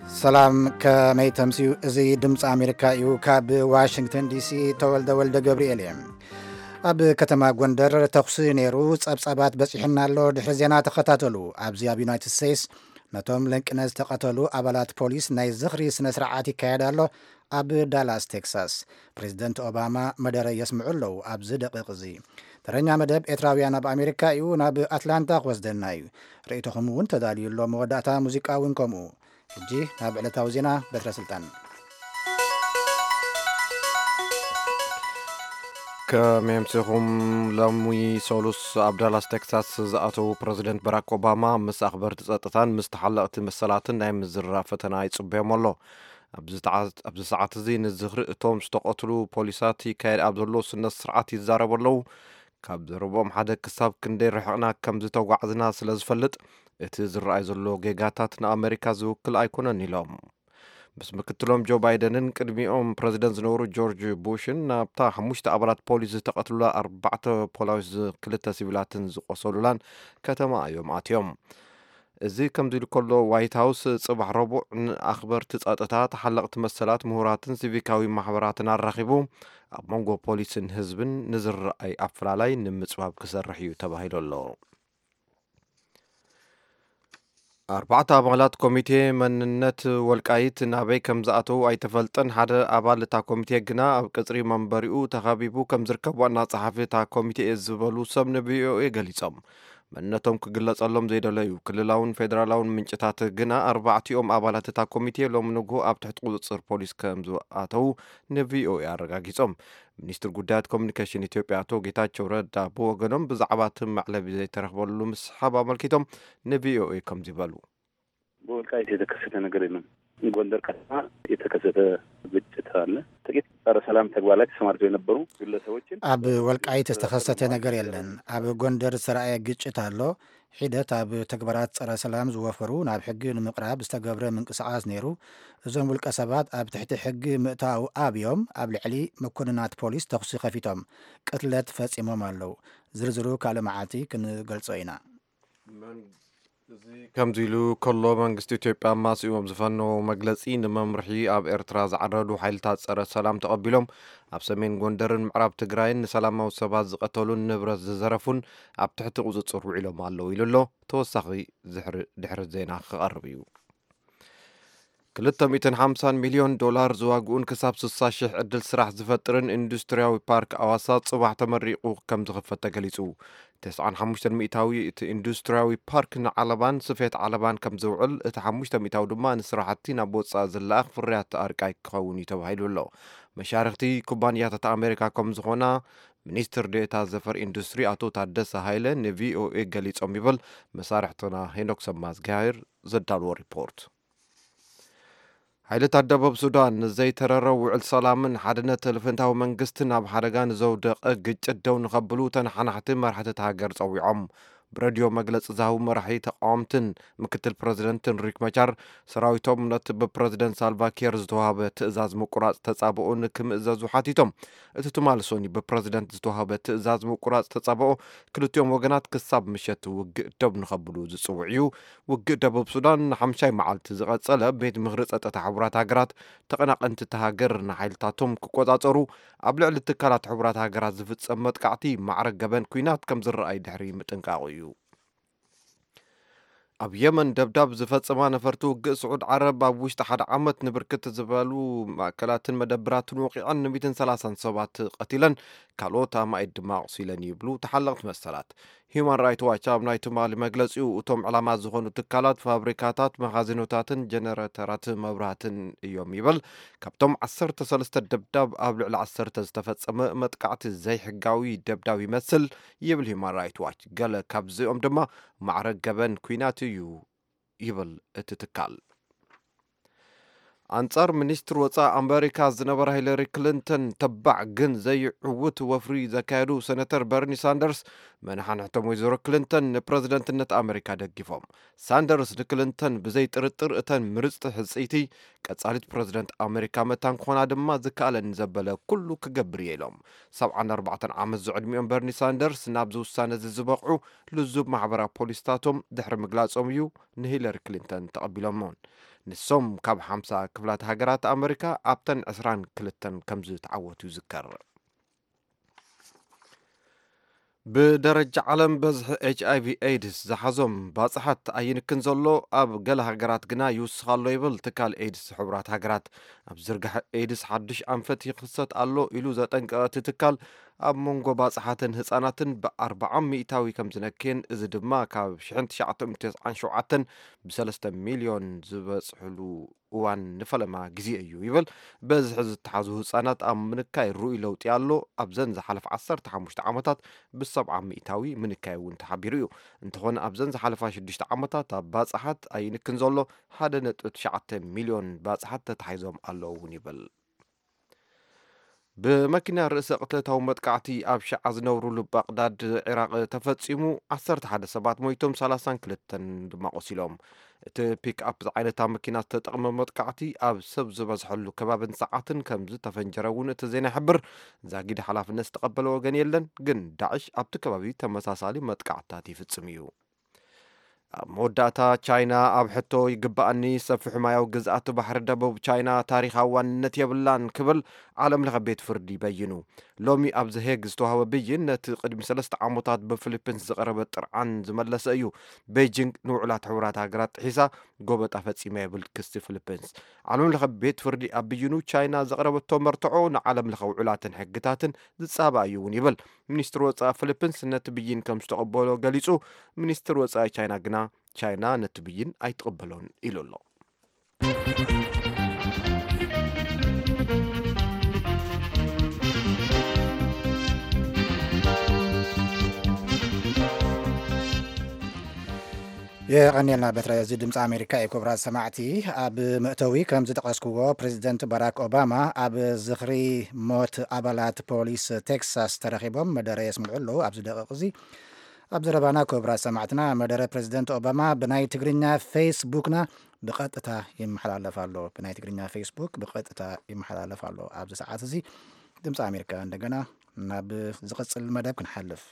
ሰላም፣ ከመይ ተምስዩ? እዚ ድምፂ ኣሜሪካ እዩ። ካብ ዋሽንግተን ዲሲ ተወልደ ወልደ ገብርኤል እየ። ኣብ ከተማ ጎንደር ተኹሲ ነይሩ፣ ጸብጻባት በጺሑና ኣሎ። ድሕሪ ዜና ተኸታተሉ። ኣብዚ ኣብ ዩናይትድ ስቴትስ ነቶም ለንቅነ ዝተቐተሉ ኣባላት ፖሊስ ናይ ዝኽሪ ስነ ስርዓት ይካየድ ኣሎ። ኣብ ዳላስ ቴክሳስ ፕሬዚደንት ኦባማ መደረ የስምዑ ኣለዉ። ኣብዚ ደቂቕ እዚ ተረኛ መደብ ኤርትራውያን ኣብ ኣሜሪካ እዩ። ናብ ኣትላንታ ክወስደና እዩ። ርእይቶኹም እውን ተዳልዩ ኣሎ። መወዳእታ ሙዚቃ እውን ከምኡ። ሕጂ ናብ ዕለታዊ ዜና። በትረ ስልጣን። ከመይ ኣምሲኹም? ሎሚ ሰሉስ ኣብ ዳላስ ቴክሳስ ዝኣተዉ ፕረዚደንት ባራክ ኦባማ ምስ ኣኽበርቲ ጸጥታን ምስ ተሓለቕቲ መሰላትን ናይ ምዝርራብ ፈተና ይጽበዮም ኣሎ። ኣብዚ ተዓ-፣ ኣብዚ ሰዓት እዚ ንዝኽሪ እቶም ዝተቐትሉ ፖሊሳት ይካየድ ኣብ ዘሎ ስነ ስርዓት ይዛረቡ ኣለዉ። ካብ ዘረብኦም ሓደ ክሳብ ክንደይ ርሕቕና ከም ዝተጓዕዝና ስለ ዝፈልጥ፣ እቲ ዝረኣይ ዘሎ ጌጋታት ንኣመሪካ ዝውክል ኣይኮነን ኢሎም። ምስ ምክትሎም ጆ ባይደንን ቅድሚኦም ፕረዚደንት ዝነበሩ ጆርጅ ቡሽን ናብታ ሓሙሽተ ኣባላት ፖሊስ ዝተቐትሉላ ኣርባዕተ ፖላዊስ ክልተ ሲቪላትን ዝቆሰሉላን ከተማ እዮም ኣትዮም። እዚ ከምዚ ኢሉ ከሎ፣ ዋይት ሃውስ ጽባሕ ረቡዕ ንኣኽበርቲ ጸጥታ፣ ተሓለቕቲ መሰላት፣ ምሁራትን ሲቪካዊ ማሕበራትን ኣራኺቡ ኣብ መንጎ ፖሊስን ህዝብን ንዝረኣይ ኣፈላላይ ንምጽባብ ክሰርሕ እዩ ተባሂሉ ኣሎ። ኣርባዕተ ኣባላት ኮሚቴ መንነት ወልቃይት ናበይ ከም ዝኣተዉ ኣይተፈልጠን። ሓደ ኣባል እታ ኮሚቴ ግና ኣብ ቅጽሪ መንበሪኡ ተኸቢቡ ከም ዝርከብ ዋና ጸሓፊ እታ ኮሚቴ እየ ዝበሉ ሰብ ንቪኦኤ ገሊጾም። መንነቶም ክግለጸሎም ዘይደለዩ ክልላውን ፌደራላውን ምንጭታት ግና፣ ኣርባዕቲኦም ኣባላት እታ ኮሚቴ ሎም ንግሆ ኣብ ትሕቲ ቁጽጽር ፖሊስ ከም ዝኣተዉ ንቪኦኤ ኣረጋጊጾም። ሚኒስትር ጉዳያት ኮሚኒኬሽን ኢትዮጵያ ኣቶ ጌታቸው ረዳ ብወገኖም፣ ብዛዕባ እቲ መዕለቢ ዘይተረኽበሉ ምስሓብ ኣመልኪቶም ንቪኦኤ ከምዚ በሉ። በወልቃይት የተከሰተ ነገር የለም። ጎንደር ከተማ የተከሰተ ግጭት አለ። ጥቂት ጸረ ሰላም ተግባር ላይ ተሰማርተው የነበሩ ግለሰቦችን ኣብ ወልቃይት ዝተኸሰተ ነገር የለን። ኣብ ጎንደር ዝተራእየ ግጭት ኣሎ። ሒደት ኣብ ተግባራት ጸረ ሰላም ዝወፈሩ ናብ ሕጊ ንምቕራብ ዝተገብረ ምንቅስቓስ ነይሩ። እዞም ውልቀ ሰባት ኣብ ትሕቲ ሕጊ ምእታው ኣብዮም ኣብ ልዕሊ መኮንናት ፖሊስ ተኹሲ ከፊቶም ቅትለት ፈጺሞም ኣለዉ። ዝርዝሩ ካልእ መዓልቲ ክንገልጾ ኢና። መን-፣ እዚ ከምዚ ኢሉ ከሎ፣ መንግስቲ ኢትዮጵያ ኣማሲኡ ኣብ ዝፈነዎ መግለጺ፣ ንመምርሒ ኣብ ኤርትራ ዝዓረዱ ሓይልታት ጸረ ሰላም ተቐቢሎም ኣብ ሰሜን ጎንደርን ምዕራብ ትግራይን ንሰላማዊ ሰባት ዝቐተሉን ንብረት ዝዘረፉን ኣብ ትሕቲ ቁጽጽር ውዒሎም ኣለዉ ኢሉ ኣሎ። ተወሳኺ ዝሕሪ-፣ ድሕሪ ዜና ክቐርብ እዩ። ክልተ ሚእትን ሓምሳን ሚልዮን ዶላር ዝዋግኡን ክሳብ ስሳ ሽሕ ዕድል ስራሕ ዝፈጥርን ኢንዱስትርያዊ ፓርክ ኣዋሳ ጽባሕ ተመሪቑ ከም ዝኽፈት ተገሊጹ። ተስዓን ሓሙሽተን ሚእታዊ እቲ ኢንዱስትርያዊ ፓርክ ንዓለባን ስፌት ዓለባን ከም ዝውዕል፣ እቲ ሓሙሽተ ሚእታዊ ድማ ንስራሕቲ ናብ ወጻኢ ዝለኣኽ ፍርያት ኣርቃይ ክኸውን እዩ ተባሂሉ ኣሎ። መሻርኽቲ ኩባንያታት ኣሜሪካ ከም ዝኾና ሚኒስትር ዴኤታ ዘፈር ኢንዱስትሪ ኣቶ ታደሰ ሃይለ ንቪኦኤ ገሊጾም ይብል መሳርሕትና ሄኖክ ሰማዝጋሄር ዘዳልዎ ሪፖርት። ሓይልታት ደቡብ ሱዳን ንዘይተረረ ውዕል ሰላምን ሓድነት ልፍንታዊ መንግስትን ኣብ ሓደጋ ንዘውደቐ ግጭት ደው ንኸብሉ ተነሓናሕቲ መራሕቲ እታ ሃገር ጸዊዖም። ብሬድዮ መግለጺ ዝሃቡ መራሒ ተቃወምትን ምክትል ፕረዚደንትን ሪክ መቻር፣ ሰራዊቶም ነቲ ብፕረዚደንት ሳልቫ ኪር ዝተዋህበ ትእዛዝ ምቁራጽ ተጻብኦ ንክምእዘዙ ሓቲቶም። እቲ ትማል ሶኒ ብፕረዚደንት ዝተዋህበ ትእዛዝ ምቁራጽ ተጻብኦ፣ ክልቲኦም ወገናት ክሳብ ምሸት ውግእ ደው ንኸብሉ ዝጽውዕ እዩ። ውግእ ደቡብ ሱዳን ንሓምሻይ መዓልቲ ዝቐጸለ፣ ቤት ምኽሪ ጸጥታ ሕቡራት ሃገራት፣ ተቐናቐንቲ እታ ሃገር ንሓይልታቶም ክቆጻጸሩ፣ ኣብ ልዕሊ ትካላት ሕቡራት ሃገራት ዝፍጸም መጥቃዕቲ ማዕረ ገበን ኲናት ከም ዝረኣይ ድሕሪ ምጥንቃቑ እዩ። ኣብ የመን ደብዳብ ዝፈጸማ ነፈርቲ ውግእ ስዑድ ዓረብ፣ ኣብ ውሽጢ ሓደ ዓመት ንብርክት ዝበሉ ማእከላትን መደብራትን ወቒዐን፣ ንሚእትን ሰላሳን ሰባት ቀቲለን፣ ካልኦት ኣማኢት ድማ ኣቑሲለን ይብሉ ተሓለቕቲ መሰላት። ሂዩማን ራይት ዋች ኣብ ናይ ትማሊ መግለጺኡ፣ እቶም ዕላማ ዝኾኑ ትካላት፣ ፋብሪካታት፣ መኻዚኖታትን ጀነሬተራት መብራህትን እዮም ይብል። ካብቶም ዓሰርተ ሰለስተ ደብዳብ፣ ኣብ ልዕሊ ዓሰርተ ዝተፈጸመ መጥቃዕቲ ዘይሕጋዊ ደብዳብ ይመስል ይብል ሂዩማን ራይት ዋች። ገለ ካብዚኦም ድማ ማዕረ ገበን ኲናት እዩ ይብል እቲ ትካል። ኣንጻር ሚኒስትር ወጻኢ ኣመሪካ ዝነበራ ሂለሪ ክሊንተን ተባዕ ግን ዘይዕውት ወፍሪ ዘካየዱ ሰነተር በርኒ ሳንደርስ፣ መናሓንሕቶም ወይዘሮ ክሊንተን ንፕረዚደንትነት ኣመሪካ ደጊፎም። ሳንደርስ ንክሊንተን ብዘይ ጥርጥር እተን ምርጽቲ ሕጽይቲ ቀጻሊት ፕረዚደንት ኣመሪካ መታን ክኾና ድማ ዝከኣለኒ ዘበለ ኩሉ ክገብር እየ ኢሎም። ሰብዓን ኣርባዕተን ዓመት ዝዕድሚኦም በርኒ ሳንደርስ ናብዚ ውሳነ እዚ ዝበቕዑ ልዙብ ማሕበራዊ ፖሊስታቶም ድሕሪ ምግላጾም እዩ ንሂለሪ ክሊንተን ተቐቢሎሞን። ንሶም ካብ ሓምሳ ክፍላት ሃገራት ኣመሪካ ኣብተን ዕስራን ክልተን ከም ዝተዓወቱ ይዝከር። ብደረጃ ዓለም በዝሒ ኤች ኣይ ቪ ኤድስ ዝሓዞም ባጽሓት ኣይንክን ዘሎ፣ ኣብ ገለ ሃገራት ግና ይውስኽ ኣሎ ይብል ትካል ኤድስ ሕቡራት ሃገራት። ኣብ ዝርጋሐ ኤድስ ሓድሽ ኣንፈት ይኽሰት ኣሎ ኢሉ ዘጠንቀቐ እቲ ትካል፣ ኣብ መንጎ ባጽሓትን ህጻናትን ብኣርብዓ ሚእታዊ ከም ዝነክየን፣ እዚ ድማ ካብ ሽሕን ትሽዓተ ሚእትን ተስዓን ሸውዓተን ብሰለስተ ሚልዮን ዝበጽሕሉ እዋን ንፈለማ ግዜ እዩ ይብል። በዝሒ ዝተሓዙ ህጻናት ኣብ ምንካይ ርኡይ ለውጢ ኣሎ። ኣብዘን ዝሓለፈ ዓሰርተ ሓሙሽተ ዓመታት ብሰብዓ ሚእታዊ ምንካይ እውን ተሓቢሩ እዩ። እንተኾነ ኣብዘን ዝሓለፋ ሽዱሽተ ዓመታት ኣብ ባጽሓት ኣይንክን ዘሎ ሓደ ነጥቢ ትሽዓተ ሚልዮን ባጽሓት ተታሒዞም ኣለዉ እውን ይብል። ብመኪና ርእሰ ቅትለታዊ መጥቃዕቲ ኣብ ሽዓ ዝነብሩሉ ባቕዳድ ዒራቕ ተፈጺሙ፣ ዓሰርተ ሓደ ሰባት ሞይቶም፣ ሰላሳን ክልተን ድማ ቆሲሎም። እቲ ፒክ ኣፕ ዝዓይነታ መኪና ዝተጠቕመ መጥቃዕቲ ኣብ ሰብ ዝበዝሐሉ ከባብን ሰዓትን ከም ዝተፈንጀረ እውን እቲ ዜና ይሕብር። ዛጊድ ሓላፍነት ዝተቐበለ ወገን የለን፣ ግን ዳዕሽ ኣብቲ ከባቢ ተመሳሳሊ መጥቃዕትታት ይፍጽም እዩ። ኣብ መወዳእታ፣ ቻይና ኣብ ሕቶ ይግባኣኒ ሰፊሕ ማያዊ ግዝኣት ባሕሪ ደቡብ ቻይና ታሪኻዊ ዋንነት የብላን ክብል ዓለም ለኸ ቤት ፍርዲ በይኑ። ሎሚ ኣብ ዘሄግ ዝተዋህበ ብይን ነቲ ቅድሚ ሰለስተ ዓመታት ብፊሊፒንስ ዝቐረበ ጥርዓን ዝመለሰ እዩ። ቤጂንግ ንውዕላት ሕቡራት ሃገራት ጥሒሳ ጎበጣ ፈጺማ ይብል ክሲ ፊሊፒንስ። ዓለም ለኸ ቤት ፍርዲ ኣብ ብይኑ ቻይና ዘቕረበቶ መርትዖ ንዓለም ለኸ ውዕላትን ሕግታትን ዝጻባእ እዩ እውን ይብል። ሚኒስትሪ ወጻኢ ፊሊፒንስ ነቲ ብይን ከም ዝተቐበሎ ገሊጹ። ሚኒስትሪ ወጻኢ ቻይና ግና ቻይና ነቲ ብይን ኣይትቕበሎን ኢሉ ኣሎ። የቐንየልና በትረ። እዚ ድምፂ ኣሜሪካ እዩ። ክቡራት ሰማዕቲ፣ ኣብ መእተዊ ከም ዝጠቐስክዎ፣ ፕሬዚደንት ባራክ ኦባማ ኣብ ዝኽሪ ሞት ኣባላት ፖሊስ ቴክሳስ ተረኺቦም መደረ የስምዑ ኣለዉ። ኣብዚ ደቂቕ እዚ ኣብ ዘረባና፣ ክቡራት ሰማዕትና፣ መደረ ፕሬዚደንት ኦባማ ብናይ ትግርኛ ፌስቡክና ብቐጥታ ይመሓላለፍ ኣሎ። ብናይ ትግርኛ ፌስቡክ ብቐጥታ ይመሓላለፍ ኣሎ። ኣብዚ ሰዓት እዚ ድምፂ ኣሜሪካ። እንደገና ናብ ዝቕፅል መደብ ክንሓልፍ፣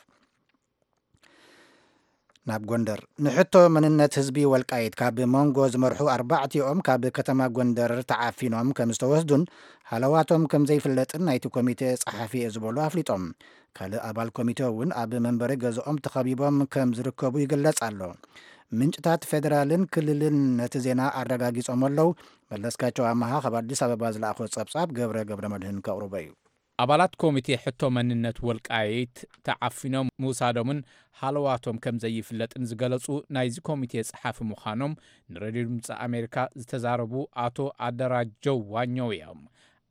ናብ ጎንደር። ንሕቶ መንነት ህዝቢ ወልቃይት ካብ መንጎ ዝመርሑ ኣርባዕቲኦም ካብ ከተማ ጎንደር ተዓፊኖም ከም ዝተወስዱን ሃለዋቶም ከም ዘይፍለጥን ናይቲ ኮሚቴ ጸሓፊ እየ ዝበሉ ኣፍሊጦም። ካልእ ኣባል ኮሚቴ እውን ኣብ መንበሪ ገዝኦም ተኸቢቦም ከም ዝርከቡ ይግለጽ ኣሎ። ምንጭታት ፌደራልን ክልልን ነቲ ዜና ኣረጋጊጾም ኣለዉ። መለስካቸው ኣመሃ ካብ ኣዲስ ኣበባ ዝለኣኾ ጸብጻብ ገብረ ገብረ መድህን ከቕርቦ እዩ። ኣባላት ኮሚቴ ሕቶ መንነት ወልቃይት ተዓፊኖም ምውሳዶምን ሃለዋቶም ከም ዘይፍለጥን ዝገለጹ ናይዚ ኮሚቴ ጸሓፊ ምዃኖም ንሬድዮ ድምፂ ኣሜሪካ ዝተዛረቡ ኣቶ ኣደራጀው ዋኘው እዮም።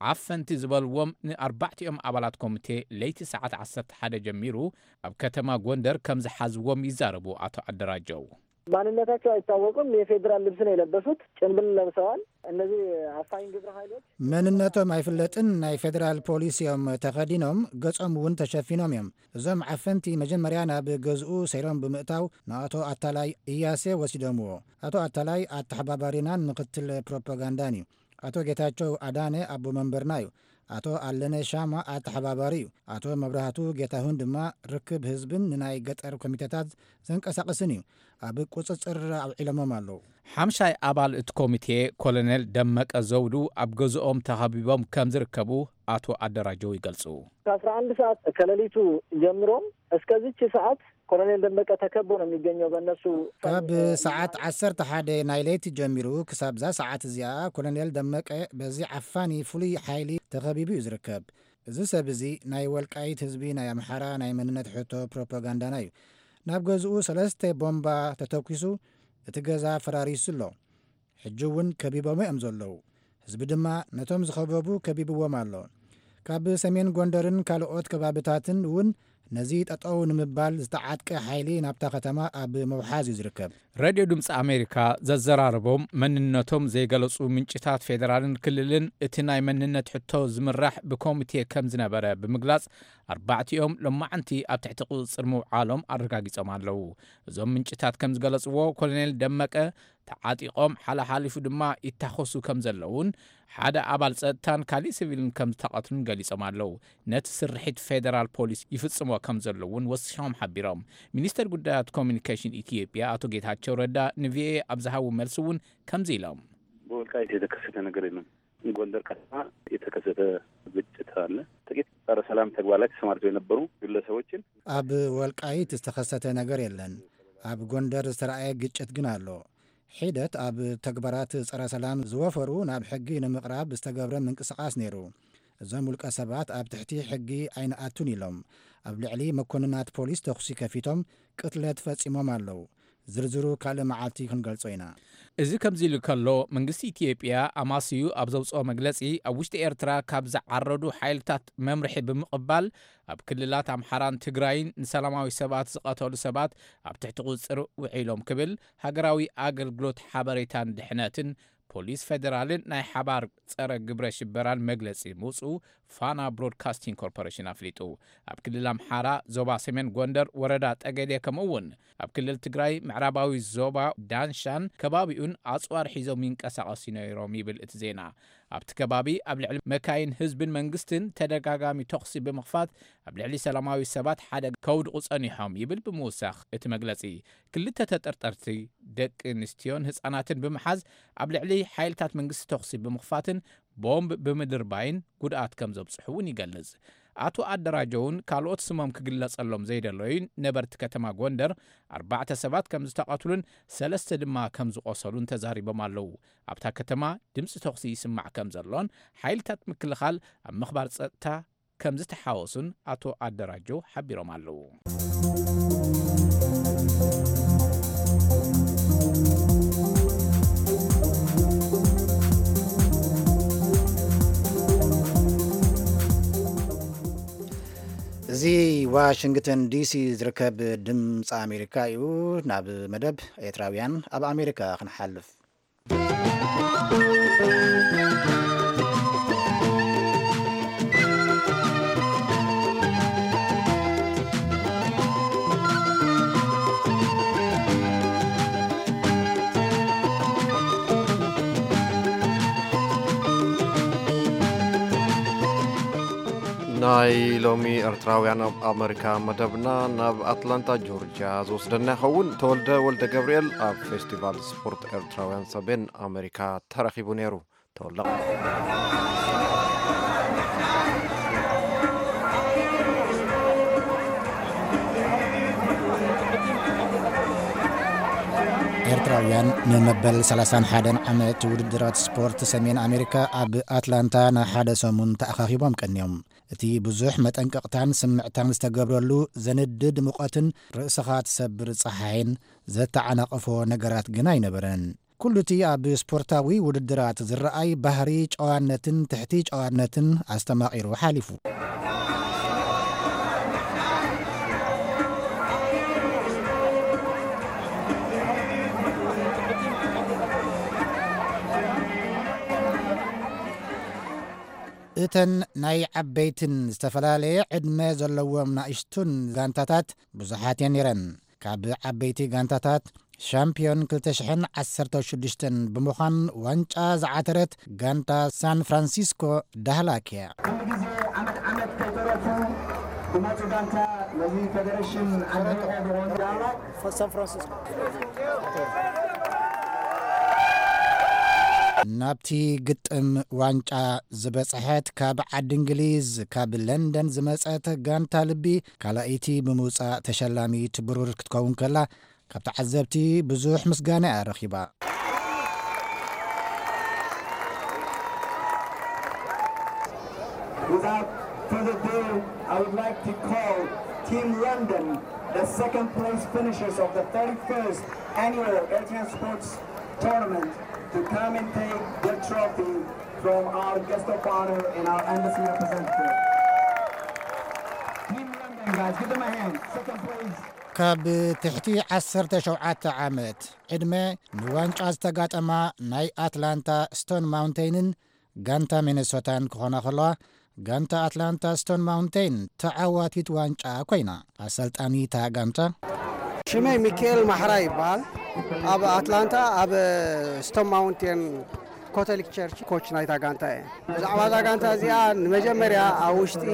ዓፈንቲ ዝበልዎም ንኣርባዕቲኦም ኣባላት ኮሚቴ ለይቲ ሰዓት ዓሰርተ ሓደ ጀሚሩ ኣብ ከተማ ጎንደር ከም ዝሓዝዎም ይዛረቡ ኣቶ ኣደራጀው። ማንነታቸው አይታወቅም። የፌዴራል ልብስ ነው የለበሱት። ጭንብል ለብሰዋል። እነዚህ አፋኝ ግብረ ኃይሎች መንነቶም ኣይፍለጥን። ናይ ፌዴራል ፖሊስ እዮም ተኸዲኖም፣ ገጾም እውን ተሸፊኖም እዮም። እዞም ዓፈንቲ መጀመርያ ናብ ገዝኡ ሰይሮም ብምእታው ንኣቶ ኣታላይ እያሴ ወሲዶምዎ። ኣቶ ኣታላይ ኣተሓባባሪናን ምክትል ፕሮፓጋንዳን እዩ። ኣቶ ጌታቸው ኣዳነ ኣቦ መንበርና እዩ። ኣቶ ኣለነ ሻማ ኣተሓባባሪ እዩ። ኣቶ መብራህቱ ጌታሁን ድማ ርክብ ህዝብን ንናይ ገጠር ኮሚቴታት ዘንቀሳቕስን እዩ። ኣብ ቁጽጽር ኣውዒሎሞም ኣለዉ። ሓምሻይ ኣባል እቲ ኮሚቴ ኮሎኔል ደመቀ ዘውዱ ኣብ ገዝኦም ተኸቢቦም ከም ዝርከቡ ኣቶ ኣደራጀው ይገልጹ። ከአስራ አንድ ሰዓት ከሌሊቱ ጀምሮም እስከዚች ሰዓት ኮሎኔል ደመቀ ተከቦ ነው የሚገኘው በእነሱ ካብ ሰዓት ዓሰርተ ሓደ ናይ ለይቲ ጀሚሩ ክሳብ እዛ ሰዓት እዚኣ ኮሎኔል ደመቀ በዚ ዓፋኒ ፍሉይ ሓይሊ ተኸቢቡ እዩ ዝርከብ። እዚ ሰብ እዚ ናይ ወልቃይት ህዝቢ ናይ ኣምሓራ ናይ መንነት ሕቶ ፕሮፓጋንዳና እዩ። ናብ ገዝኡ ሰለስተ ቦምባ ተተኲሱ እቲ ገዛ ፈራሪሱ ኣሎ። ሕጂ እውን ከቢቦሞ እዮም ዘለዉ። ህዝቢ ድማ ነቶም ዝኸበቡ ከቢብዎም ኣሎ። ካብ ሰሜን ጎንደርን ካልኦት ከባብታትን እውን ነዚ ጠጠው ንምባል ዝተዓጥቀ ሓይሊ ናብታ ከተማ ኣብ ምውሓዝ እዩ ዝርከብ። ሬድዮ ድምፂ ኣሜሪካ ዘዘራረቦም መንነቶም ዘይገለፁ ምንጭታት ፌደራልን ክልልን እቲ ናይ መንነት ሕቶ ዝምራሕ ብኮሚቴ ከም ዝነበረ ብምግላፅ፣ ኣርባዕቲኦም ሎማዓንቲ ኣብ ትሕቲ ቁፅፅር ምውዓሎም ኣረጋጊፆም ኣለዉ። እዞም ምንጭታት ከም ዝገለፅዎ፣ ኮሎኔል ደመቀ ተዓጢቖም ሓለሓሊፉ ድማ ይታኸሱ ከም ዘለውን ሓደ ኣባል ጸጥታን ካሊእ ሲቪልን ከም ዝተቐትሉን ገሊጾም ኣለዉ። ነቲ ስርሒት ፌደራል ፖሊስ ይፍጽሞ ከም ዘሎ እውን ወሲኾም ሓቢሮም። ሚኒስተር ጉዳያት ኮሚኒኬሽን ኢትዮጵያ ኣቶ ጌታቸው ረዳ ንቪኦኤ ኣብ ዝሃቡ መልሲ እውን ከምዚ ኢሎም። በወልቃይት የተከሰተ ነገር የለም። ጎንደር ከተማ የተከሰተ ግጭት አለ። ጥቂት ጸረ ሰላም ተግባር ላይ ተሰማርተው የነበሩ ግለሰቦችን ኣብ ወልቃይት ዝተኸሰተ ነገር የለን። ኣብ ጎንደር ዝተረኣየ ግጭት ግን ኣሎ። ሒደት ኣብ ተግባራት ጸረ ሰላም ዝወፈሩ ናብ ሕጊ ንምቕራብ ዝተገብረ ምንቅስቓስ ነይሩ። እዞም ውልቀ ሰባት ኣብ ትሕቲ ሕጊ ኣይንኣቱን ኢሎም ኣብ ልዕሊ መኮንናት ፖሊስ ተኹሲ ከፊቶም ቅትለት ፈጺሞም ኣለዉ። ዝርዝሩ ካልእ መዓልቲ ክንገልጾ ኢና። እዚ ከምዚ ኢሉ ከሎ፣ መንግስቲ ኢትዮጵያ ኣማስዩ ኣብ ዘውፅኦ መግለፂ፣ ኣብ ውሽጢ ኤርትራ ካብ ዝዓረዱ ሓይልታት መምርሒ ብምቕባል፣ ኣብ ክልላት ኣምሓራን ትግራይን ንሰላማዊ ሰባት ዝቐተሉ ሰባት ኣብ ትሕቲ ቁፅፅር ውዒሎም ክብል ሃገራዊ ኣገልግሎት ሓበሬታን ድሕነትን ፖሊስ ፌደራልን ናይ ሓባር ጸረ ግብረ ሽበራን መግለጺ ምውጽኡ ፋና ብሮድካስቲንግ ኮርፖሬሽን ኣፍሊጡ። ኣብ ክልል ኣምሓራ ዞባ ሰሜን ጎንደር ወረዳ ጠገዴ፣ ከምኡ እውን ኣብ ክልል ትግራይ ምዕራባዊ ዞባ ዳንሻን ከባቢኡን ኣጽዋር ሒዞም ይንቀሳቐሱ ነይሮም ይብል እቲ ዜና። ኣብቲ ከባቢ ኣብ ልዕሊ መካይን ህዝብን መንግስትን ተደጋጋሚ ተኹሲ ብምኽፋት ኣብ ልዕሊ ሰላማዊ ሰባት ሓደጋ ከውድቑ ጸኒሖም ይብል ብምውሳኽ እቲ መግለጺ። ክልተ ተጠርጠርቲ ደቂ ኣንስትዮን ህጻናትን ብምሓዝ ኣብ ልዕሊ ሓይልታት መንግስቲ ተኹሲ ብምኽፋትን ቦምብ ብምድርባይን ጉድኣት ከም ዘብጽሑ እውን ይገልጽ። ኣቶ ኣደራጀውን ካልኦት ስሞም ክግለጸሎም ዘይደለዩን ነበርቲ ከተማ ጎንደር ኣርባዕተ ሰባት ከም ዝተቐትሉን ሰለስተ ድማ ከም ዝቖሰሉን ተዛሪቦም ኣለዉ። ኣብታ ከተማ ድምፂ ተኹሲ ይስማዕ ከም ዘሎን ሓይልታት ምክልኻል ኣብ ምኽባር ጸጥታ ከም ዝተሓወሱን ኣቶ ኣደራጀው ሓቢሮም ኣለዉ። እዚ ዋሽንግተን ዲሲ ዝርከብ ድምፂ ኣሜሪካ እዩ። ናብ መደብ ኤርትራውያን ኣብ ኣሜሪካ ክንሓልፍ። ናይ ሎሚ ኤርትራውያን ኣብ ኣመሪካ መደብና ናብ ኣትላንታ ጆርጅያ ዝወስደና ይኸውን። ተወልደ ወልደ ገብርኤል ኣብ ፌስቲቫል ስፖርት ኤርትራውያን ሰሜን ኣመሪካ ተረኺቡ ነይሩ። ተወልደ። ኤርትራውያን ንመበል ሰላሳን ሓደን ዓመት ውድድራት ስፖርት ሰሜን ኣሜሪካ ኣብ ኣትላንታ ንሓደ ሰሙን ተኣኻኺቦም ቀንዮም። እቲ ብዙሕ መጠንቀቕታን ስምዕታን ዝተገብረሉ ዘንድድ ሙቐትን ርእስኻ ትሰብር ጸሓይን ዘተዓናቕፎ ነገራት ግን ኣይነበረን። ኩሉ እቲ ኣብ ስፖርታዊ ውድድራት ዝረኣይ ባህሪ ጨዋነትን ትሕቲ ጨዋነትን ኣስተማቒሩ ሓሊፉ። እተን ናይ ዓበይትን ዝተፈላለየ ዕድመ ዘለዎም ናእሽቱን ጋንታታት ብዙሓት እየን ነይረን። ካብ ዓበይቲ ጋንታታት ሻምፒዮን ክልተ ሽሕን ዓሰርተ ሽዱሽተን ብምዃን ዋንጫ ዝዓተረት ጋንታ ሳን ፍራንሲስኮ ዳህላክ እያ። ኩሉ ግዜ ዓመት ዓመት ከይተረፉ ዝመፁ ጋንታ ነዚ ፌደሬሽን ኣድኒቆ ዝኮኑ ዳህላክ ሳን ፍራንሲስኮ። ናብቲ ግጥም ዋንጫ ዝበጽሐት ካብ ዓዲ እንግሊዝ፣ ካብ ለንደን ዝመጸት ጋንታ ልቢ ካልኣይቲ ብምውጻእ ተሸላሚት ብሩር ክትከውን ከላ፣ ካብ ተዓዘብቲ ብዙሕ ምስጋና እያ ረኺባ። Without further ado, I would like to call Team London, the second place finishers of the thirty-first annual Eritrean Sports Tournament, to come and take the trophy from our guest of honor and our embassy representative. Team London, ካብ ትሕቲ ዓሰርተ ሸውዓተ ዓመት ዕድመ ንዋንጫ ዝተጋጠማ ናይ ኣትላንታ ስቶን ማውንቴንን ጋንታ ሚነሶታን ክኾና ከለዋ፣ ጋንታ ኣትላንታ ስቶን ማውንቴን ተዓዋቲት ዋንጫ ኮይና። ኣሰልጣኒ እታ ጋንታ፣ ሽመይ ሚካኤል ማሕራ ይበሃል። ኣብ ኣትላንታ ኣብ ስቶን ማውንቴን ኮቶሊክ ቸርች ኮች ናይታ ጋንታ እየ። ብዛዕባ እዛ ጋንታ እዚኣ ንመጀመርያ ኣብ ውሽጢ፣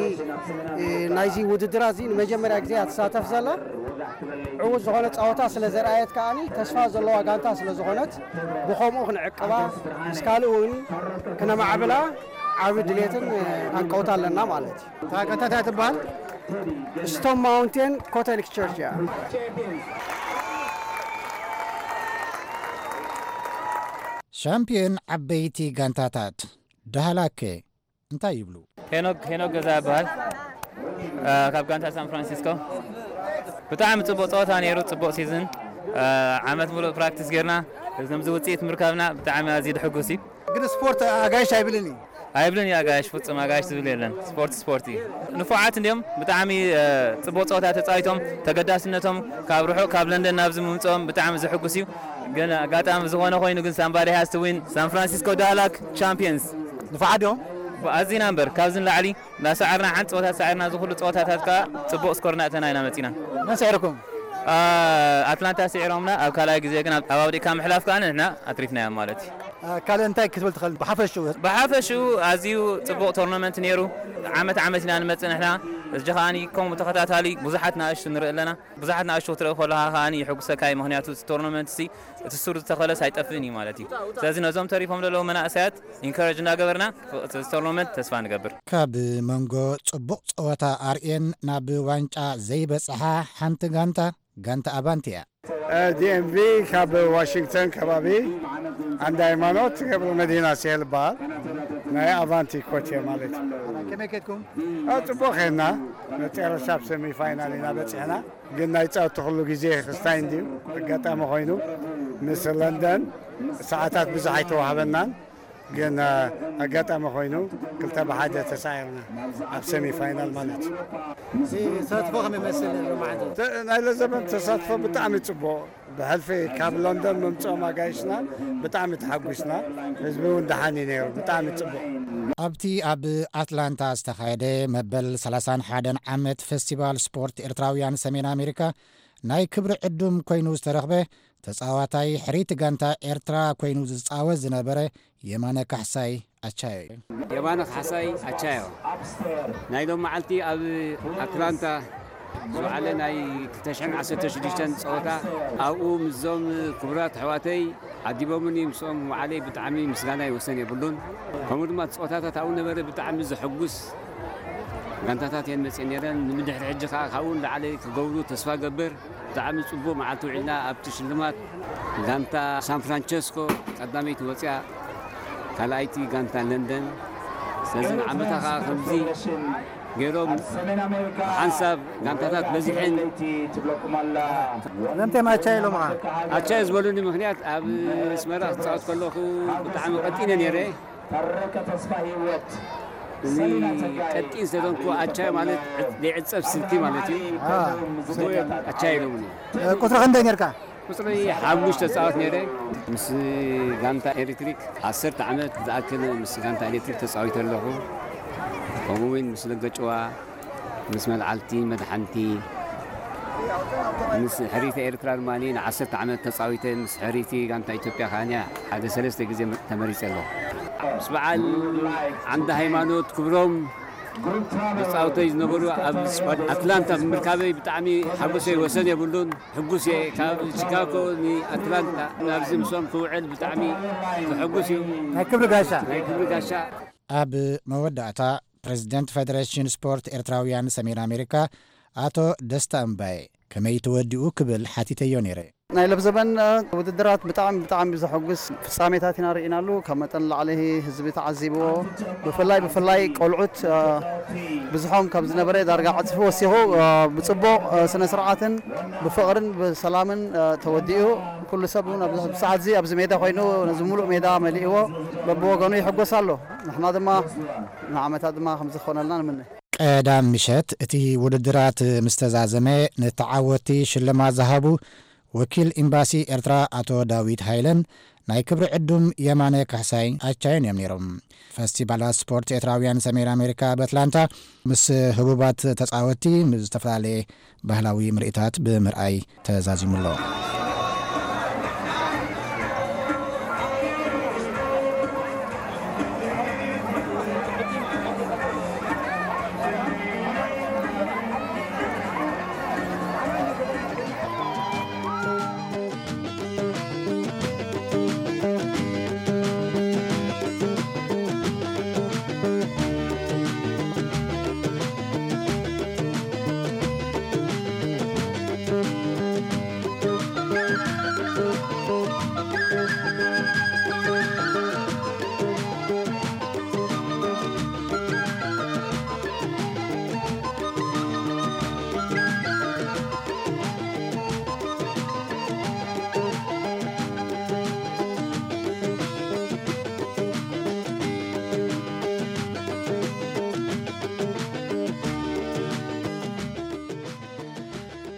እ፣ ናይዚ ውድድር እዚ ንመጀመርያ ግዜ እያ ትሳተፍ ዘላ። ዕዉት ዝኾነ ጸወታ ስለ ዘርኣየት ከኣኒ ተስፋ ዘለዋ ጋንታ ስለ ዝኾነት ብኸምኡ ክንዕቅባ ምስ ካልእ እውን ክነማዕብላ ዓቢ ድሌትን፣ እ፣ ሃንቀውታ ኣለና ማለት እዩ። እታ ጋንታ እንታይ ትበሃል? ስቶን ማውንቴን ኮቶሊክ ቸርች እያ። ሻምፒዮን ዓበይቲ ጋንታታት ዳህላክ እንታይ ይብሉ? ሄኖክ፣ ሄኖክ ገዛ ይበሃል። አ፣ ካብ ጋንታ ሳን ፍራንሲስኮ። ብጣዕሚ ጽቡቕ ጸወታ ነይሩ፣ ጽቡቕ ሲዝን። አ፣ ዓመት ሙሉእ ፕራክቲስ ጌርና፣ ከምዚ ውጽኢት ምርካብና ብጣዕሚ ኣዝዩ ድሕጉስ እዩ። ግን ስፖርት ኣጋይሽ ኣይብልን እዩ። ኣይብልን እዩ ኣጋይሽ፣ ፍጹም ኣጋይሽ ዝብል የለን። ስፖርት ስፖርት እዩ። ንፉዓት እንዲዮም፣ ብጣዕሚ፣ አ፣ ጽቡቕ ጸወታ ተጻዊቶም፣ ተገዳስነቶም ካብ ርሑቕ ካብ ለንደን ናብዚ ምምጽኦም ብጣዕሚ ዘሕጉስ እዩ። ግን ኣጋጣሚ ዝኾነ ኮይኑ ግን ሳምባዲ ሃስት ዊን ሳን ፍራንሲስኮ ዳላክ ቻምፒየንስ። ንፉዓት ድዮም? ኣዚና እምበር ካብዚ ንላዕሊ እናሰዓርና ሓንቲ ጸወታ ሰዓርና እዚ ኩሉ ጸወታታት ከኣ ጽቡቕ ስኮር እናእተና ኢና መጺና። መን ስዒርኩም? አ፣ ኣትላንታ ስዒሮምና፣ ኣብ ካልኣይ ግዜ ግን ኣብ፣ ኣብ ኣብዲካ ምሕላፍ ከኣ ንሕና ኣትሪፍናዮም ማለት እዩ። አ፣ ካልእ እንታይ ክትብል ትኽእል ብሓፈሽኡ? ብሓፈሽኡ ኣዝዩ ጽቡቕ ቶርናመንት ነይሩ። ዓመት ዓመት ኢና ንመጽእ ንሕና። እዚ ከኣ ከምኡ ተኸታታሊ ብዙሓት ንኣሽቱ ንርኢ ኣለና። ብዙሓት ንኣሽቱ ክትርኢ ከለኻ ከኣ የሐጉሰካ እዩ። ምኽንያቱ እቲ ቶርናመንት ሲ እቲ ሱር ዝተኸለስ ኣይጠፍእን እዩ ማለት እዩ። ስለዚ ነዞም ተሪፎም ዘለዉ መናእሰያት ኢንካሬጅ እናገበርና እቲ ቶርናመንት ተስፋ ንገብር። ካብ መንጎ ጽቡቕ ጸወታ ኣርእየን ናብ ዋንጫ ዘይበጽሓ ሓንቲ ጋንታ፣ ጋንታ ኣቫንቲ እያ። ዲኤምቪ ካብ ዋሽንግተን ከባቢ፣ ዓንዲ ሃይማኖት ገብረ መድህን ኣስሄል ይበሃል። ናይ ኣቫንቲ ኮች እየ ማለት እዩ። ከመይ ከድኩም? አ፣ ጽቡቕ ኸድና። መጨረሻ ኣብ ሰሚ ፋይናል ኢና በጺሕና። ግን ናይ ጸወታ ኩሉ ግዜ ክስታይ እንድዩ። ኣጋጣሚ ኮይኑ ምስ ለንደን ሰዓታት ብዙሕ ኣይተዋህበናን። ግን፣ አ፣ ኣጋጣሚ ኮይኑ ክልተ ብሓደ ተሳዒርና ኣብ ሰሚ ፋይናል ማለት እዩ። ተሳትፎ ከመይ ይመስል ሎማዓንቲ? ተ-፣ ናይ ለዘበን ተሳትፎ ብጣዕሚ ጽቡቕ። ብሕልፊ ካብ ሎንዶን ምምጽኦም ኣጋይሽና ብጣዕሚ ተሓጒስና። ህዝቢ እውን ደሓን እዩ ነይሩ። ብጣዕሚ ጽቡቕ። ኣብቲ ኣብ ኣትላንታ ዝተኻየደ መበል ሰላሳን ሓደን ዓመት ፈስቲቫል ስፖርት ኤርትራውያን ሰሜን ኣሜሪካ ናይ ክብሪ ዕዱም ኮይኑ ዝተረኽበ ተጻዋታይ ሕርይቲ ጋንታ ኤርትራ ኮይኑ ዝጻወት ዝነበረ የማነ ካሕሳይ ኣቻዮ እዩ። የማነ ካሕሳይ ኣቻዮ ናይ ሎም መዓልቲ ኣብ ኣትላንታ ዝወዓለ ናይ ክልተ ሽሕን ዓሰርተ ሽዱሽተን ጸወታ ኣብኡ ምስዞም ክቡራት ኣሕዋተይ ዓዲቦምኒ፣ ምስኦም ምውዓለይ ብጣዕሚ ምስጋና ይወሰን የብሉን። ከምኡ ድማ ጸወታታት ኣብኡ ነበረ ብጣዕሚ ዘሐጉስ ጋንታታት እየን መጽየን ነይረን። ንምድሕሪ ሕጂ ከኣ ካብኡ ንላዕሊ ክገብሩ ተስፋ ገብር። ብጣዕሚ ጽቡቕ መዓልቲ ውዒልና ኣብቲ ሽልማት ጋንታ ሳን ፍራንቸስኮ ቀዳመይቲ ወጽያ፣ ካልኣይቲ ጋንታ ለንደን። ስለዚ ንዓመታ ከኣ ከምዚ ገይሮም ሓንሳብ ጋንታታት በዚሐን። ስለምንታይ ኣቻ ኢሎምኻ? ኣቻ ዝበሉኒ ምኽንያት ኣብ ኣስመራ ክጻወት ከለኹ ብጣዕሚ ቀጢነ ነይረ። እዚ ቀጢን ስለዘንኩ ኣቻ ማለት ዘይዕጸፍ ስልቲ ማለት እዩ። አ። ኣቻ ኢሎምኒ። እ፣ ቁጽሪ ክንደይ ነርካ? ቁጽሪ ሓሙሽተ ተጻወት ነይረ። ምስ ጋንታ ኤሌክትሪክ ዓሰርተ ዓመት ዝኣክል ምስ ጋንታ ኤሌክትሪክ ተጻዊተ ኣለኹ። ከምኡ እውን ምስ ለገጭዋ፣ ምስ መልዓልቲ መድሓንቲ፣ ምስ ሕሪተ ኤርትራ ድማ ንዓሰርተ ዓመት ተጻዊተ፣ ምስ ሕሪቲ ጋንታ ኢትዮጵያ ከኣ ሓደ ሰለስተ ግዜ ተመሪጸ ኣለኹ። ምስ በዓል ዓንደ ሃይማኖት ክብሮም መጻወተይ ዝነበሩ ኣብ ኣትላንታ ብምርካበይ ብጣዕሚ ሓጎሰይ ወሰን የብሉን። ሕጉስ እየ። ካብ ቺካጎ ንኣትላንታ ናብዚ ምስኦም ክውዕል ብጣዕሚ ዘሐጉስ እዩ። ናይ ክብሪ ጋሻ። ናይ ክብሪ ጋሻ። ኣብ መወዳእታ ፕሬዝደንት ፌደሬሽን ስፖርት ኤርትራውያን ሰሜን ኣሜሪካ ኣቶ ደስታ እምባዬ ከመይ ተወዲኡ ክብል ሓቲተዮ ነይረ። ናይ ለብዘበን ውድድራት ብጣዕሚ ብጣዕሚ ዘሐጉስ ፍጻሜታት ኢና ርኢናሉ። ካብ መጠን ንላዕሊ ህዝቢ ተዓዚብዎ። ብፍላይ ብፍላይ ቆልዑት፣ እ፣ ብዝሖም ካብ ዝነበረ ዳርጋ ዕጽፊ ወሲኹ፣ እ፣ ብጽቡቕ፣ እ፣ ስነ ስርዓትን ብፍቕርን ብሰላምን፣ እ፣ ተወዲኡ። ኩሉ ሰብ እውን ኣብዚ ሰዓት እዚ ኣብዚ ሜዳ ኮይኑ ነዚ ሙሉእ ሜዳ መሊእዎ በብወገኑ ይሕጎስ ኣሎ። ንሕና ድማ ንዓመታት ድማ ከምዚ ክኾነልና ንምነ። ቀዳም ምሸት እቲ ውድድራት ምስ ተዛዘመ፣ ንተዓወትቲ ሽልማት ዝሃቡ ወኪል ኤምባሲ ኤርትራ ኣቶ ዳዊት ሃይለን ናይ ክብሪ ዕዱም የማነ ካሕሳይ ኣቻዮን እዮም ነይሮም። ፈስቲቫላት ስፖርት ኤርትራውያን ሰሜን ኣሜሪካ ኣብ ኣትላንታ ምስ ህቡባት ተጻወትቲ ምስ ዝተፈላለየ ባህላዊ ምርኢታት ብምርኣይ ተዛዚሙ ኣሎ።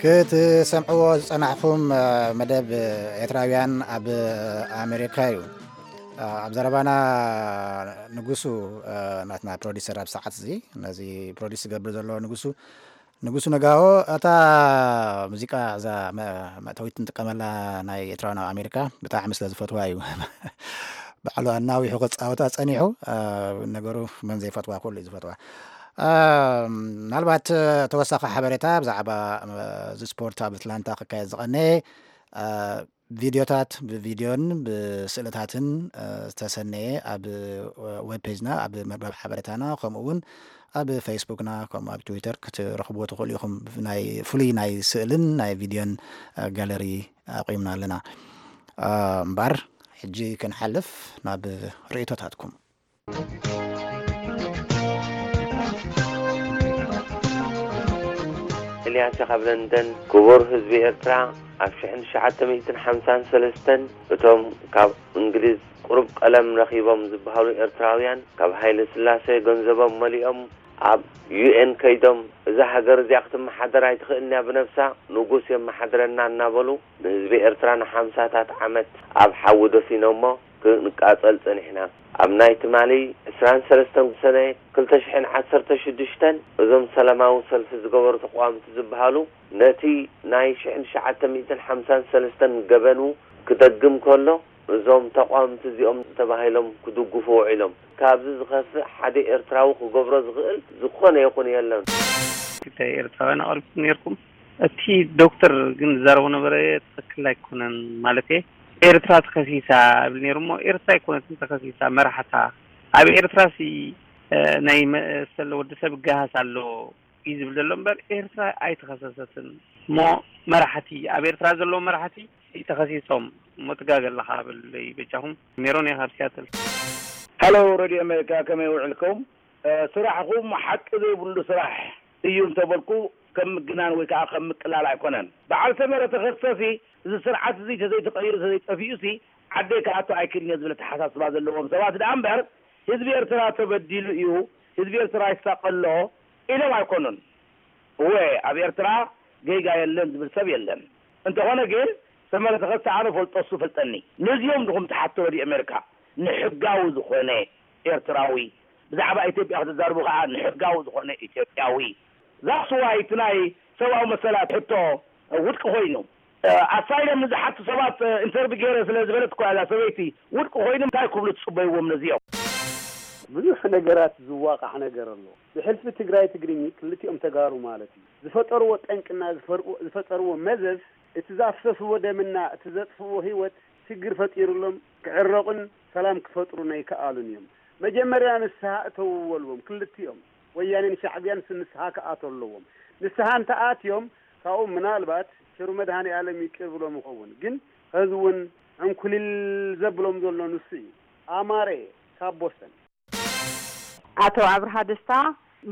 ክትሰምዕዎ ዝጸናሕኹም፣ እ፣ መደብ ኤርትራውያን ኣብ ኣሜሪካ እዩ። እ፣ ኣብ ዘረባና ንጉሱ፣ እ፣ ናትና ፕሮዲሰር ኣብ ሰዓት እዚ ነዚ ፕሮዲስ ዝገብር ዘሎ ንጉሱ፣ ንጉሱ ነጋዎ፣ እታ ሙዚቃ፣ እዛ መ-፣ መእተዊት ንጥቀመላ ናይ ኤርትራውያን ኣብ ኣሜሪካ ብጣዕሚ ስለ ዝፈትዋ እዩ። ባዕሉ ኣናዊሑ ክጻወታ ጸኒሑ፣ እ፣ ነገሩ መን ዘይፈትዋ፣ ኩሉ እዩ ዝፈትዋ። እ፣ ምናልባት ተወሳኺ ሓበሬታ ብዛዕባ፣ እ፣ እዚ ስፖርት ኣብ ኣትላንታ ክካየድ ዝቐነየ፣ እ፣ ቪድዮታት ብቪድዮን ብስእልታትን፣ እ፣ ዝተሰነየ ኣብ ዌብ ፔጅና፣ ኣብ መርበብ ሓበሬታና፣ ከምኡ እውን ኣብ ፌስቡክና፣ ከምኡ ኣብ ትዊተር ክትረኽብዎ ትኽእሉ ኢኹም። ናይ ፍሉይ ናይ ስእልን ናይ ቪድዮን፣ እ፣ ጋለሪ ኣቑምና ኣለና። እ፣ እምበኣር ሕጂ ክንሓልፍ ናብ ርእይቶታትኩም። ኤልያስ ካብ ለንደን። ክቡር ህዝቢ ኤርትራ፣ ኣብ ሽሕን ትሽዓተ ሚእትን ሓምሳን ሰለስተን እቶም ካብ እንግሊዝ ቁሩብ ቀለም ረኺቦም ዝበሃሉ ኤርትራውያን፣ ካብ ሃይለ ስላሴ ገንዘቦም መሊኦም ኣብ ዩ ኤን ከይዶም፣ እዛ ሃገር እዚኣ ክትመሓደር ኣይትኽእልን እያ ብነብሳ፣ ንጉስ የመሓድረና እናበሉ ንህዝቢ ኤርትራ ንሓምሳታት ዓመት ኣብ ሓዊ ደፊኖሞ ክንቃጸል ጸኒሕና። ኣብ ናይ ትማሊ ዕስራን ሰለስተን ሰነ ክልተ ሽሕን ዓሰርተ ሽዱሽተን እዞም ሰላማዊ ሰልፊ ዝገበሩ ተቃወምቲ ዝበሃሉ ነቲ ናይ ሽሕን ትሽዓተ ሚእትን ሓምሳን ሰለስተን ገበኑ ክደግም ከሎ፣ እዞም ተቃወምቲ እዚኦም ተባሂሎም ክድግፉ ውዒሎም። ካብዚ ዝኸፍእ ሓደ ኤርትራዊ ክገብሮ ዝኽእል ዝኾነ ይኹን የለን። ክልተ ኤርትራውያን ኣቕሪብኩም ነይርኩም። እቲ ዶክተር ግን ዝዛረቦ ነበረ ትኽክል ኣይኮነን። ማለት ኤርትራ ተኸሲሳ እብል ነይሩ እሞ ኤርትራ ኣይኮነትን ተኸሲሳ፣ መራሕታ። ኣብ ኤርትራሲ፣ እ፣ ናይ መሰል ወዲ ሰብ ይገሃስ ኣሎ እዩ ዝብል ዘሎ እምበር ኤርትራ ኣይተኸሰሰትን። እሞ መራሕቲ፣ ኣብ ኤርትራ ዘለዉ መራሕቲ ተኸሲሶም እሞ ትጋገ ኣለኻ በለይ በጃኹም። ሜሮን እየ ካብ ሲያትል። ሃሎ ሬድዮ ኣሜሪካ፣ ከመይ ውዕልኩም? እ፣ ስራሕኹም ሓቂ ዘይብሉ ስራሕ እዩ እንተበልኩ ከም ምግናን ወይ ከዓ ከም ምቅላል ኣይኮነን። በዓል ሰመረ ተኸሰሲ፣ እዚ ስርዓት እዚ ተዘይተቐይሩ ተዘይጠፊኡሲ ዓደይ ክኣቱ ኣይክእልን እየ ዝብል ኣተሓሳስባ ዘለዎም ሰባት ደኣ እምበር ህዝቢ ኤርትራ ተበዲሉ እዩ፣ ህዝቢ ኤርትራ ይሳቐ ኣሎ ኢሎም ኣይኮኑን። እወ፣ ኣብ ኤርትራ ጌጋ የለን ዝብል ሰብ የለን። እንተኾነ ግን ሰመረ ተኸስተ ኣነ ፈልጦ እሱ ፈልጠኒ። ነዚኦም ድኹም ትሓቶ ወዲ ኣሜሪካ ንሕጋዊ ዝኾነ ኤርትራዊ ብዛዕባ ኢትዮጵያ ክትዛርቡ ከዓ ንሕጋዊ ዝኾነ ኢትዮጵያዊ። That's why እቲ ናይ ሰብኣዊ መሰላት ሕቶ ውድቂ ኮይኑ። ኣሳይለም ንዝሓቱ ሰባት ኢንተርቪ ገይረ ስለ ዝበለት እኳ እዛ ሰበይቲ ውድቂ ኮይኑ እንታይ ክብሉ ትፅበይዎም ነዚኦም? ብዙሕ ነገራት ዝዋቃሕ ነገር ኣሎ። ብሕልፊ ትግራይ ትግርኝ ክልቲኦም ተጋሩ ማለት እዩ። ዝፈጠርዎ ጠንቅና ዝፈርዎ- ዝፈጠርዎ መዘዝ እቲ ዛፍሰስዎ ደምና እቲ ዘጥፍዎ ህይወት ሽግር ፈጢሩሎም ክዕረቑን ሰላም ክፈጥሩን ኣይከኣሉን እዮም። መጀመርያ ንስሃ እተውዎ በልዎም ክልቲኦም ወያኔን ሻዕብያን ንስሃ ክኣትዉ ኣለዎም። ንስሃ እንተኣትዮም ካብኡ ምናልባት ቸሩ መድሃኔኣለም ይቅር ብሎም ይኸውን። ግን ሕዚ እውን ዕንኩሊል ዘብሎም ዘሎ ንሱ እዩ። ኣማረ ካብ ቦስተን። ኣቶ ኣብርሃ ደስታ፣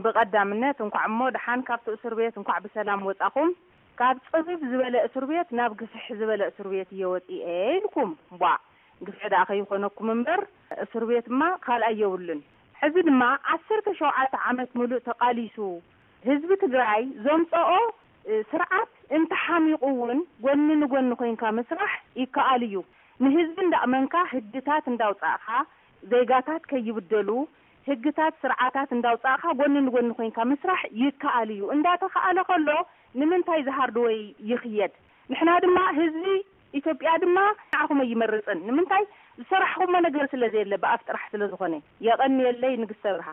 ብቐዳምነት እንኳዕ እሞ ደሓን ካብቲ እስር ቤት እንኳዕ ብሰላም ወጻኹም። ካብ ጽብብ ዝበለ እስር ቤት ናብ ግፍሕ ዝበለ እስር ቤት እየ ወጺኤ ኢልኩም። ቧእ፣ ግፍሒ ደኣ ከይኾነኩም እምበር እስር ቤትማ ካልኣይ የብሉን። ሕዚ ድማ ዓሰርተ ሸውዓተ ዓመት ምሉእ ተቓሊሱ ህዝቢ ትግራይ ዘምፀኦ ስርዓት እንተሓሚቑ እውን ጎኒ ንጎኒ ኮይንካ ምስራሕ ይከኣል እዩ። ንህዝቢ እንዳእመንካ ህግታት እንዳውፃእኻ ዜጋታት ከይብደሉ ህግታት ስርዓታት እንዳውፃእኻ ጎኒ ንጎኒ ኮይንካ ምስራሕ ይከኣል እዩ። እንዳተኸኣለ ከሎ ንምንታይ ዝሃርድወይ ይኽየድ? ንሕና ድማ ህዝቢ ኢትዮጵያ ድማ ንዓኹም ኣይመርፅን። ንምንታይ? ዝሰራሕኹሞ ነገር ስለ ዘየለ ብኣፍ ጥራሕ ስለ ዝኾነ። የቐንየለይ ንግስተ ብርሃ።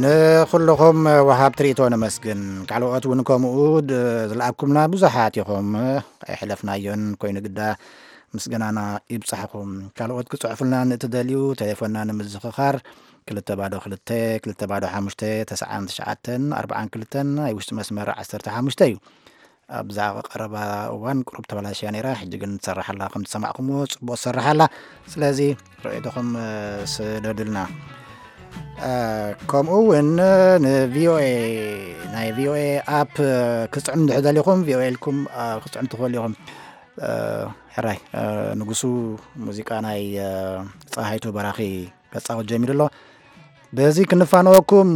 ንኹልኹም ወሃብ ትርኢቶ ነመስግን። ካልኦት እውን ከምኡ ድ- ዝለኣኩምና ብዙሓት ኢኹም። ኣይሕለፍናዮን ኮይኑ ግዳ ምስጋናና ይብጻሕኹም። ካልኦት ክጽሕፉልና ንእትደልዩ ቴሌፎንና ንምዝኽኻር ክልተ ባዶ ክልተ ክልተ ባዶ ሓሙሽተ ተስዓን ትሽዓተን ኣርባዓን ክልተን ናይ ውሽጢ መስመር ዓሰርተ ሓሙሽተ እዩ። ኣብዛ ቀረባ እዋን ቁሩብ ተበላሽያ ነይራ፣ ሕጂ ግን ትሰርሕ ኣላ። ከም ዝሰማዕኩምዎ ጽቡቕ ትሰርሕ ኣላ። ስለዚ ርእይቶኹም ስደዱልና። ከምኡ እውን ንቪኦኤ ናይ ቪኦኤ ኣፕ ክፅዕኑ እንድሕር ደሊኹም ቪኦኤ ኢልኩም ክፅዕኑ ትኽእሉ ኢኹም። ሕራይ ንጉሱ ሙዚቃ ናይ ፀሃይቱ በራኺ ከፃወት ጀሚሩ ኣሎ። በዚ ክንፋነወኩም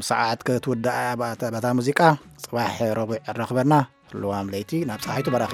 ሰዓት ክትውዳእ በታ ሙዚቃ። ፅባሕ ረቡዕ ረኽበና። ልዋም ለይቲ ናብ ፀሃይቱ በራኺ።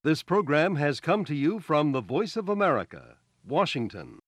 This program has come to you from the Voice of America, Washington.